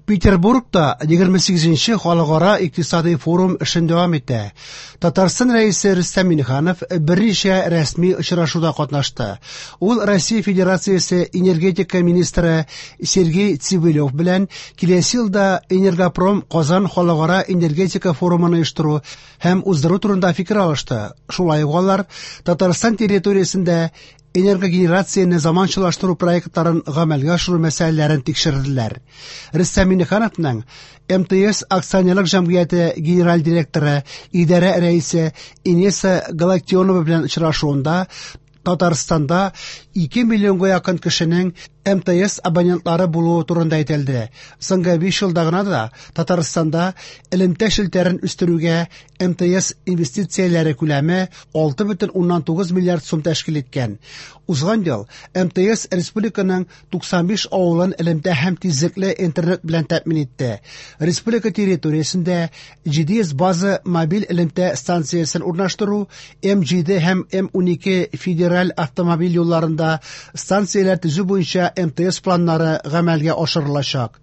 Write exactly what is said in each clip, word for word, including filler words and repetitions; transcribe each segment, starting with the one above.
Петербургта егерме сигезенче халыкара икътисади форум эшен дәвам итә. Татарстан Рәисе Рөстәм Миңнеханов берничә рәсми очрашуда катнашты. Ул Россия Федерациясе энергетика министры Сергей Цивилев белән киләсе елда Энергопром Казан халыкара энергетика форумын оештыру һәм уздыру турында фикер алышты. Шулай ук алар Татарстан территориясендә энергогенерацияне заманчалаштыру проектларын гамәлгә ашыру мәсьәләләрен тикшерделәр. Рөстәм Миңнехановның эм тэ эс акционерлык җәмгыяте генераль директоры, идарә рәисе Инесса Галактионова белән очрашуында Татарстанда ике миллионга якын кешенең эм тэ эс абонентлары булуы турында әйтелде. Соңгы биш елда гына да Татарстанда элемтә челтәрен үстерүгә эм тэ эс инвестицияләре күләме алты бөтен уннан тугыз миллиард сум тәшкил иткән. Узган ел эм тэ эс республиканың туксан биш авылын элемтә һәм тизлекле интернет белән тәэмин итте. Республика территориясендә җиде йөз база мобиль элемтә станциясен урнаштыру, эм җиде һәм эм унике федераль автомобиль юлларында станцияләр төзү буенча эм тэ эс планнары гамәлгә ашырылачак.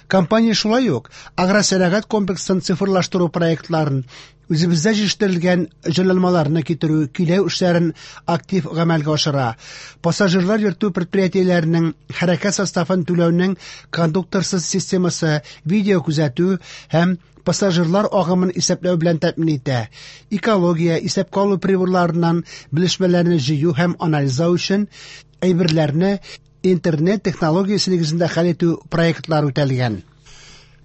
Компания шулай ук агросәнәгать комплексын цифрлаштыру проектларын, үзебездә җитештерелгән җайланмаларны китерү, көйләү эшләрен актив гамәлгә ашыра. Пассажирлар йөртү предприятиеләренең хәрәкәт составын түләүнең кондукторсыз системасы, видео күзәтү һәм пассажирлар агымын исәпләү белән тәэмин итә. Экология, исәпкә алу приборларыннан белешмәләрне җыю һәм анализлау өчен әйберләрне интернет технологиясе нигезендә хәл итү проектлары үтәлгән.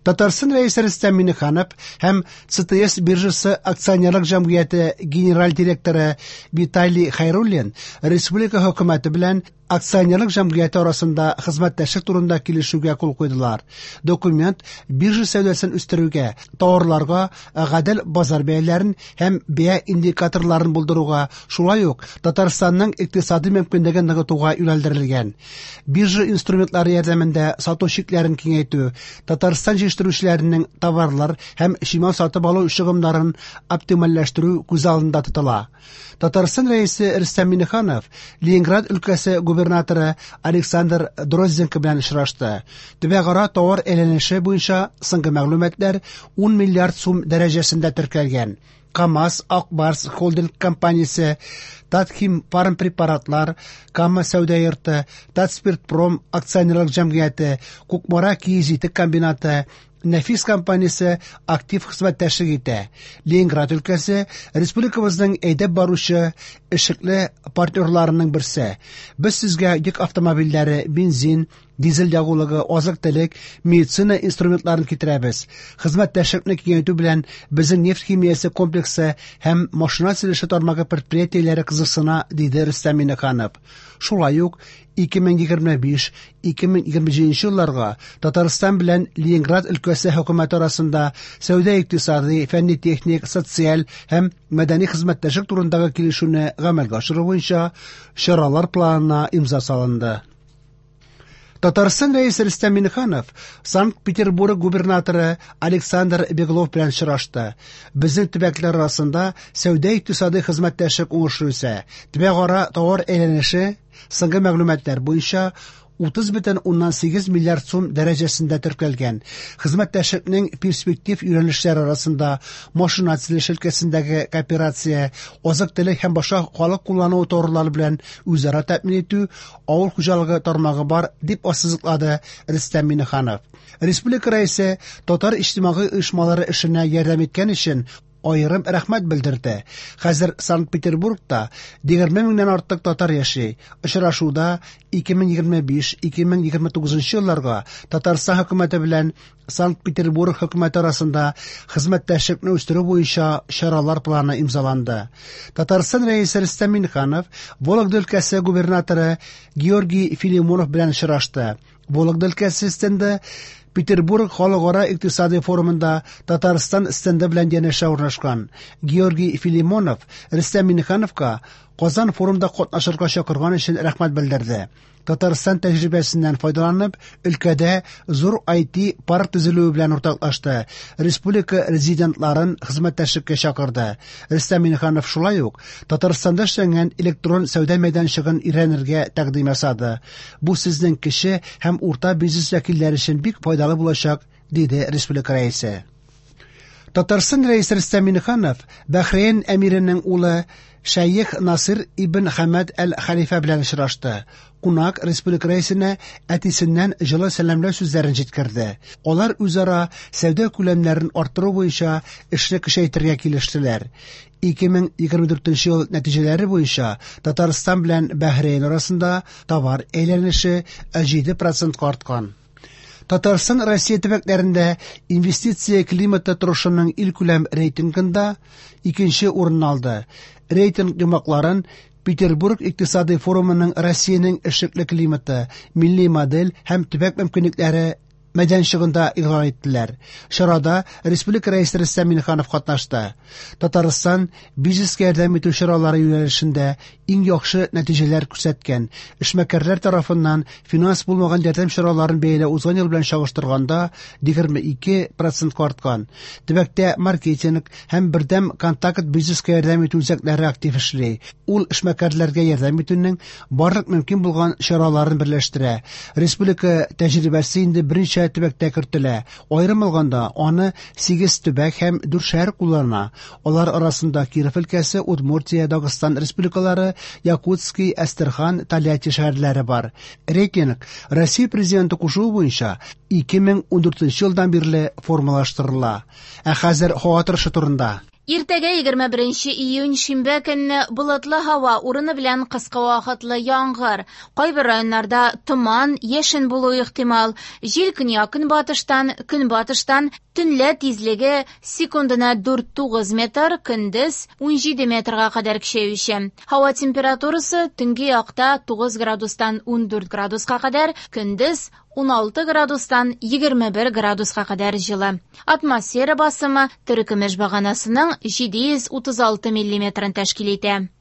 Татарстан Рәисе Рөстәм Миңнеханов һәм цэ тэ эс биржасы акционерлык җәмгыяте генераль директоры Виталий Хайруллин республика хөкүмәте белән акционерлык җәмгыяте арасында хезмәттәшлек турында килешүгә кул куйдылар. Документ биржа сәүдәсен үстерүгә, товарларга гадел базар бәяләрен һәм бәя индикаторларын булдыруга, шулай ук Татарстанның икътисади мөмкинлеген ныгытуга юнәлдерелгән. Биржа инструментлары ярдәмендә сату чикләрен киңәйтү, Татарстан җитештерүчеләренең товарлар һәм чимал сатып алу чыгымнарын оптимальләштерү күз алдында тотыла. Татарстан Рәисе Рөстәм Миңнеханов Ленинград өлкәсе губернаторы Александр Дрозденко белән очрашты. Төбәкара товар әйләнеше буенча соңгы мәгълүматлар ун миллиард сум дәрәҗәсендә теркәлгән. КАМАЗ, Ак Барс холдинг компаниясе, Татхим фармпрепаратлар, Кама сәүдә йорты, Татспиртпром акционерлык җәмгыяте, Кукмара киез итек комбинаты, Нәфис компаниясе актив хезмәттәшлек итә. Ленинград өлкәсе республикабызның әйдәп баручы эшлекле партнерларының берсе. Без сезгә йөк автомобильләре, бензин, дизель ягулыгы, азык-төлек, медицина инструментларын китерәбез. Хезмәттәшлекне киңәйтү белән безнең нефть химиясе комплексы һәм машина төзелеше тармагы предприятиеләре кызыксына, диде Рөстәм Миңнеханов. Шулай ук ике мең егерме биш, ике мең егерме җиденче елларга Татарстан белән Ленинград өлкәсе хөкүмәте арасында сәүдә-икътисади, фәнни-техник, социаль һәм мәдәни хезмәттәшлек турындагы килешүне гамәлгә ашыру буенча чаралар планына имза салынды. Татарстан Рәисе Рөстәм Миңнеханов Санкт-Петербург губернаторы Александр Беглов белән очрашты. Безнең төбәкләр арасында сәүдә-икътисади хезмәттәшлек уңышлы үсә. Төбәкара товар әйләнеше соңгы мәгълүматлар буенча утыз бөтен уннан сигез миллиард сум дәрәҗәсендә теркәлгән. Хезмәттәшлекнең перспектив юнәлешләре арасында машина төзелеше өлкәсендәге кооперация, азык-төлек һәм башка халык куллану товарлары белән үзара тәэмин итү, авыл хуҗалыгы тармагы бар, дип ассызыклады Рөстәм Миңнеханов. Республика рәисе татар иҗтимагый оешмалары эшенә ярдәм иткән өчен аерым рәхмәт белдерде. Хәзер Санкт-Петербургта егерме меңнән артык татар яши. Очрашуда ике мең егерме биш, ике мең егерме тугызынчы елларга Татарстан хөкүмәте белән Санкт-Петербург хөкүмәте арасында хезмәттәшлекне үстерү буенча чаралар планы имзаланды. Татарстан рәисе Рөстәм Миңнеханов Вологда өлкәсе губернаторы Георгий Филимонов белән очрашты. Вологда өлкәсе стенды Петербург халыкара икътисади форумында Татарстан стенды белән янәшә урнашкан. Георгий Филимонов Рөстәм Миңнехановка Казан форумда катнашырга чакырган өчен рәхмәт белдерде. Татарстан тәҗрибәсеннән файдаланып, өлкәдә зур ай ти-парк төзелүе белән уртаклашты. Республика резидентларын хезмәттәшлеккә чакырды. Рөстәм Миңнеханов шулай ук Татарстанда эшләнгән электрон сәүдә мәйданчыгын өйрәнергә тәкъдим ясады. Бу сезнең кече һәм урта бизнес вәкилләре өчен бик файдалы булачак, диде республика рәисе. Татарстан рәисе Рөстәм Миңнеханов Бәхрейн әмиренең улы Шәех Насыр ибн Хәмәд әл-Хәлифә белән очрашты. Кунак республика рәисенә әтисеннән җылы сәламләү сүзләрен җиткерде. Алар үзара сәүдә күләмнәрен арттыру буенча эшне көчәйтергә килештеләр. ике мең егерме дүртенче ел нәтиҗәләре буенча Татарстан белән Бәхрейн арасында товар әйләнеше җиде процентка арткан. Татарстан Россия төбәкләрендә инвестиция климаты торышының илкүләм рейтингында икенче урын алды. Рейтинг йомгакларын Петербург икътисади форумының Россиянең эшлекле климаты, милли модель һәм төбәк мөмкинлекләре мәйданчыгында игълан иттеләр. Чарада республика рәисе Рөстәм Миңнеханов катнашты. Татарстан бизнеска ярдәм итү чаралары юнәлешендә иң яхшы нәтиҗәләр күрсәткән. Эшмәкәрләр тарафыннан финанс булмаган ярдәм чараларын бәяләү узган ел белән чагыштырганда егерме ике процентка арткан. Төбәктә маркетинг һәм бердәм контакт бизнеска ярдәм итү үзәкләре актив эшли. Ул эшмәкәрләргә ярдәм итүнең барлык мөмкин булган чараларын берләштерә. Республика тәҗрибәсе инде берничә төбәктә кертелә. Аерым алганда, аны сигез төбәк һәм дүрт шәһәр куллана. Алар арасында Киров өлкәсе, Удмуртия, Дагыстан республикалары, Якутский, Әстерхан, Тольятти шәһәрләре бар. Рейтинг Россия президенты кушуы буенча ике мең ундүртенче елдан бирле формалаштырыла. Ә хәзер һава торышы турында. Иртәгә егерме беренче июнь шимбә көнне болытлы һава, урыны белән кыска вакытлы яңгыр. Кайбер районнарда томан, яшен булуы ихтимал. Җил көньяк-көнбатыштан, көнбатыштан, төнлә тизлеге секундына дүрт тугыз метр, көндез унҗиде метрга кадәр көчәюче. Һава температурасы төнге якта тугыз градустан ундүрт градуска кадәр, көндез уналты градустан егерме бер градуска кадәр җылы. Атмосфера басымы терекөмеш баганасының җиде йөз утыз алты миллиметрын тәшкил итә.